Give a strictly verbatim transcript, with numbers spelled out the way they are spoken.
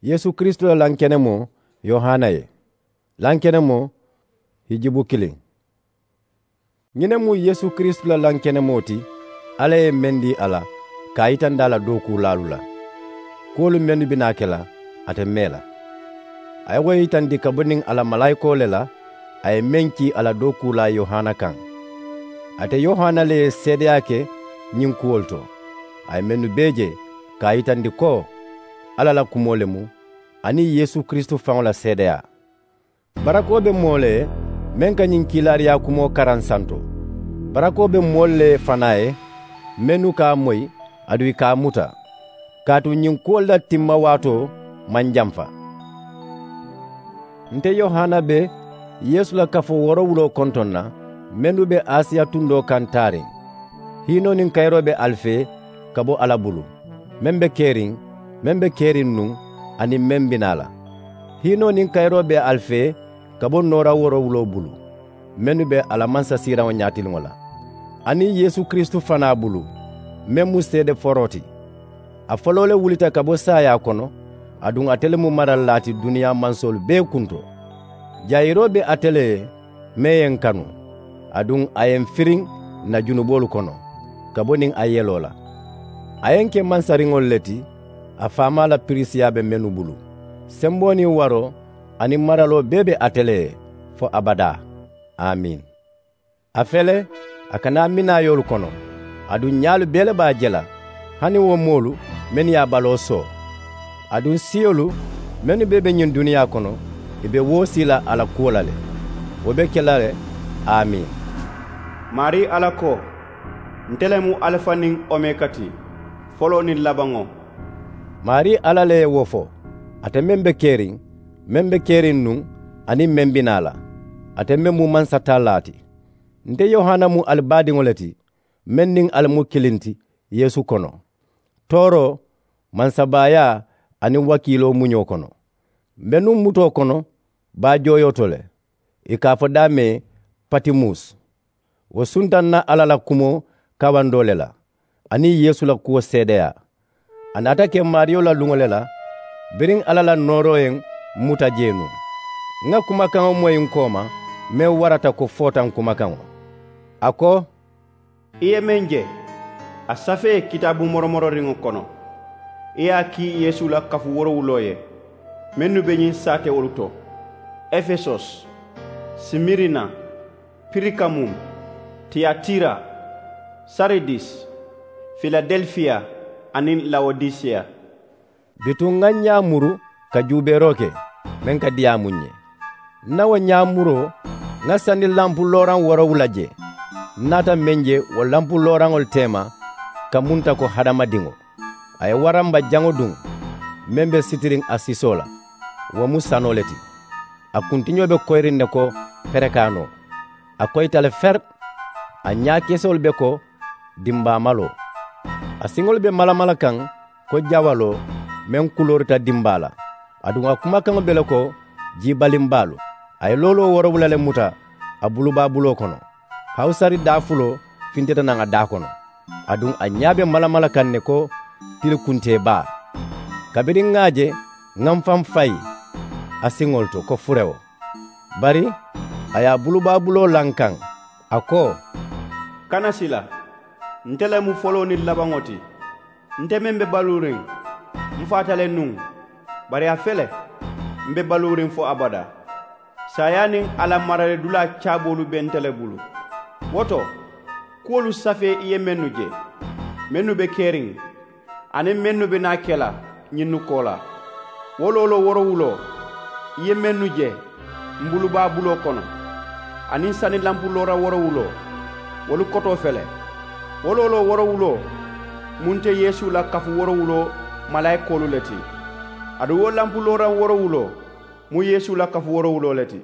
Yeesu kiristu la lankenemoo yohana ye. Lankenemoo hijibu kiliŋ. Ñiŋ ne mu yeesu kiristu la lankenemoo ti alla ye meŋ dii a la ka a yitandi a la dookuulaalu la. Kuwolu mennu bi naa ke la ate mee la a ye wo yitandi ka bo niŋ a la malaayikoo le la. A ye meŋ kii a la dookuulaa yohana kaŋ. Ate yohana le ye seedeyaa ke ñiŋ kuwolu to a ye mennu bee je ka a yitandi ko alla la kumoo le mu aniŋ yeesu kiristu faŋo la seedeyaa. Barakoo be moo le ye meŋ ka ñiŋ kiilaariyaa kumoo karaŋ santo. Barakoo be moolu le ye fanaa ye mennu ka a moyi aduŋ ì ka a muta. Kaatu ñiŋ kuwolu la timma waatoo maŋ jamfa. Nte yohana be yeesu la kafoo woorowuloo kontoŋ na mennu be asiya tundoo kaŋ taariŋ. Hiinoo niŋ kayiroo be ali fee ka bo alla bulu meŋ be keriŋ meŋ be keriŋ nuŋ aniŋ meŋ bi naa la. Hiinoo niŋ kayiroo be ali fee ka bo noora woorowuloo bulu mennu be a la mansasiiraŋo ñaatiliŋo la aniŋ yeesu kiristu fanaa bulu meŋ mu seede foroo ti. A foloo le wulita ka bo saayaa kono aduŋ ate le mu maralilaa ti duniyaa mansoolu bee kunto. Jayiroo be ate le ye meŋ ye n kanu aduŋ a ye n firiŋ n na junuboolu kono ka bo niŋ a yeloo la. A ye n ke mansariŋolu le ti a faamaa la pirisiyaa be mennu bulu. Semboo niŋ waroo aniŋ maraloo bee be ate le ye fo abadaa. Amiin. A fele a ka naa minaayoolu kono aduŋ ñaalu bee le be a je la hani wo moolu mennu ye a baloo soo. Aduŋ siyolu mennu bee be ñiŋ duniyaa kono ì be woo sii la a la kuwo la le. Wo be ke la le. Amiin. Maarii alla ko, nte le mu alifa niŋ omeka ti, foloo niŋ labaŋo. Maarii alla le ye wo fo, ate meŋ be keriŋ meŋ be keriŋ nuŋ aniŋ meŋ bi naa la, ate meŋ mu mansatallaa ti. Nte yohana mu ali baadiŋo le ti meŋ niŋ ali mu kiliŋ ti yeesu kono, tooroo, mansabaayaa aniŋ wakiiloo muñoo kono. M̀ be nuŋ mutoo kono baa jooyoo to le, ì ka a fo daamee patimus. Wo sunta n na alla la kumoo kawandoo le la aniŋ yeesu la kuwo seedeyaa. A naata ke maariyo la luŋo le la biriŋ alla la nooroo ye m muta jee nuŋ. Ŋà kumakaŋo moyi n kooma meŋ warata ko footaŋ kumakaŋo. A ko, i ye meŋ je a safee kitaabu moromororiŋo kono. I ye a kii yeesu la kafu woorowuloo ye mennu be ñiŋ saatewolu to, efesos, simirina, pirikamum, tiyatira, saridis, filadelfiya, aniŋ lawodisiya. Bituŋ ŋà ñaa muru ka juubeeroo ke meŋ ka diyaamu n ye. N na wo ñaa muroo ŋà sani lampu looraŋ woorowula je. N naata meŋ je wo lampu looraŋolu teema ka munta ko hadamadiŋo. A ye waramba jaŋo duŋ meŋ be sitiriŋ a sisoo la. Wo mu sanoo le ti. A kuntiñoo be koyiriŋ ne ko perekaanoo. A koyita le feri. A ñaakesoolu be ko dimbaamaloo. A siŋolu be malamala kaŋ ko jawaloo meŋ kuloorita dimbaa la. Aduŋ a kumakaŋo be le ko jiibalimbaalu. A ye looloo woorowula le muta a bulubaabuloo kono. Hawusari daafuloo fintita naŋ a daa kono. Aduŋ a ñaa be malamala kaŋ ne ko tilikuntee baa. Kabiriŋ ŋà a je ŋà m faŋ fayi a siŋolu to ko furewo. Bari a ye a bulubaabuloo la n kaŋ, a ko, kana sila. Nte le mu foloo niŋ labaŋo ti. Nte meŋ be baluuriŋ m faata le nuŋ. Bari a fele m be baluuriŋ fo abadaa. Saayaa niŋ a la mararidulaa caaboolu be nte le bulu. Wo to, kuwolu safee i ye mennu je mennu be keriŋ aniŋ mennu be naa ke la ñinnu koolaa. Wo looloo woorowuloo i ye mennu je m bulubaabuloo kono aniŋ sani lampu loora woorowuloo, wolu kotoo fele. Wo looloo woorowuloo mu nte yeesu la kafu woorowuloo malaayikoolu le ti. Aduŋ wo lampu looraŋ woorowuloo mu yeesu la kafu woorowuloo le ti.